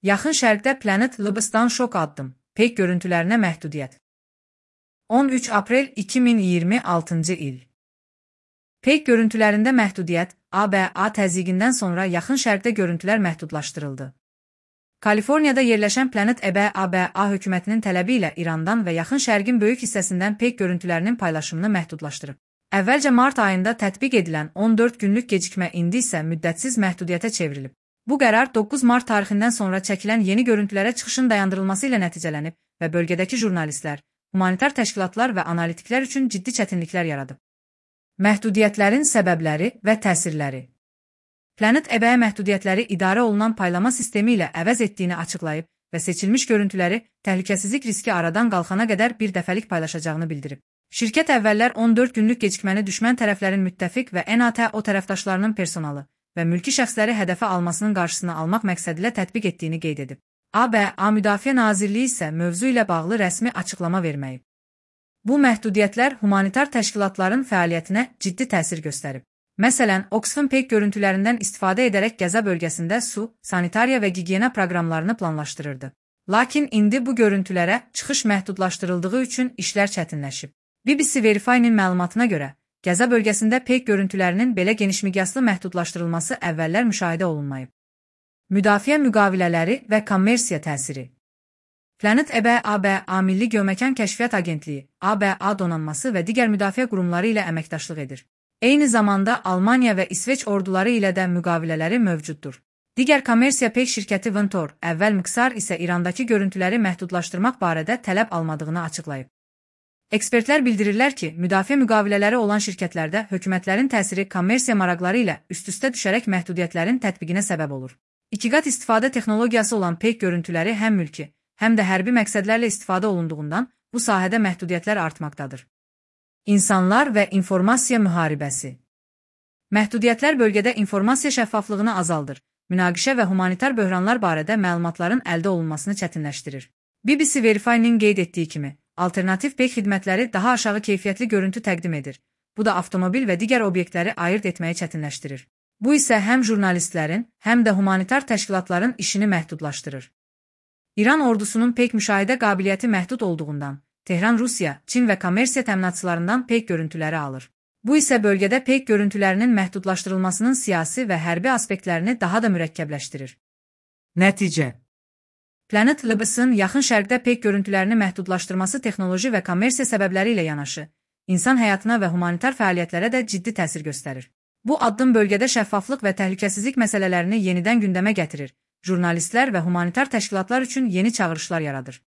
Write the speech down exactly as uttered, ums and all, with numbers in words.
Yaxın Şərqdə Planet Labs'dan şok addım. Peyk görüntülərinə məhdudiyyət. on üç aprel iki min iyirmi altıncı il. Peyk görüntülərində məhdudiyyət, A B A təzyiqindən sonra Yaxın Şərqdə görüntülər məhdudlaşdırıldı. Kaliforniyada yerləşən Planet A B A hökumətinin tələbi ilə İrandan və Yaxın Şərqin böyük hissəsindən peyk görüntülərinin paylaşımını məhdudlaşdırıb. Əvvəlcə mart ayında tətbiq edilən on dörd günlük gecikmə indi isə müddətsiz məhdudiyyətə çevrilib. Bu qərar doqquz mart tarixindən sonra çəkilən yeni görüntülərə çıxışın dayandırılması ilə nəticələnib və bölgədəki jurnalistlər, humanitar təşkilatlar və analitiklər üçün ciddi çətinliklər yaradıb. Məhdudiyyətlərin səbəbləri və təsirləri. Planet A B A məhdudiyyətləri idarə olunan paylama sistemi ilə əvəz etdiyini açıqlayıb və seçilmiş görüntüləri təhlükəsizlik riski aradan qalxana qədər bir dəfəlik paylaşacağını bildirib. Şirkət əvvəllər on dörd günlük gecikməni düşmən tərəflərin müttəfiq və NATO tərəfdaşlarının personalı və mülki şəxsləri hədəfə almasının qarşısını almaq məqsədilə tətbiq etdiyini qeyd edib. A B A Müdafiə Nazirliyi isə mövzu ilə bağlı rəsmi açıqlama verməyib. Bu məhdudiyyətlər humanitar təşkilatların fəaliyyətinə ciddi təsir göstərib. Məsələn, Oxfam peyk görüntülərindən istifadə edərək Qəza bölgəsində su, sanitariya və gigiyena proqramlarını planlaşdırırdı. Lakin indi bu görüntülərə çıxış məhdudlaşdırıldığı üçün işlər çətinləşib. B B C Verify-nin məlumatına görə, Qəza bölgəsində peyk görüntülərinin belə genişmiqyaslı məhdudlaşdırılması əvvəllər müşahidə olunmayıb. Müdafiə müqavilələri və kommersiya təsiri. Planet A B A Milli Geoməkan Kəşfiyyat Agentliyi, A B A donanması və digər müdafiə qurumları ilə əməkdaşlıq edir. Eyni zamanda Almaniya və İsveç orduları ilə də müqavilələri mövcuddur. Digər kommersiya peyk şirkəti Ventor, əvvəl Miksar isə İrandakı görüntüləri məhdudlaşdırmaq barədə tələb almadığını açıqlayıb. Ekspertlər bildirirlər ki, müdafiə müqavilələri olan şirkətlərdə hökumətlərin təsiri kommersiya maraqları ilə üst-üstə düşərək məhdudiyyətlərin tətbiqinə səbəb olur. İkiqat istifadə texnologiyası olan peyk görüntüləri həm mülki, həm də hərbi məqsədlərlə istifadə olunduğundan bu sahədə məhdudiyyətlər artmaqdadır. İnsanlar və informasiya müharibəsi. Məhdudiyyətlər bölgədə informasiya şəffaflığını azaldır, münaqişə və humanitar böhranlar barədə məlumatların əldə olunmasını çətinləşdirir. B B C Verify-nin qeyd etdiyi kimi, alternativ peyk xidmətləri daha aşağı keyfiyyətli görüntü təqdim edir. Bu da avtomobil və digər obyektləri ayırt etməyi çətinləşdirir. Bu isə həm jurnalistlərin, həm də humanitar təşkilatların işini məhdudlaşdırır. İran ordusunun peyk müşahidə qabiliyyəti məhdud olduğundan, Tehran Rusiya, Çin və kommersiya təminatçılarından peyk görüntüləri alır. Bu isə bölgədə peyk görüntülərinin məhdudlaşdırılmasının siyasi və hərbi aspektlərini daha da mürəkkəbləşdirir. Nəticə. Planet Labs'ın Yaxın Şərqdə peyk görüntülərini məhdudlaşdırması texnoloji və kommersiya səbəbləri ilə yanaşı, insan həyatına və humanitar fəaliyyətlərə də ciddi təsir göstərir. Bu addım bölgədə şəffaflıq və təhlükəsizlik məsələlərini yenidən gündəmə gətirir, jurnalistlər və humanitar təşkilatlar üçün yeni çağırışlar yaradır.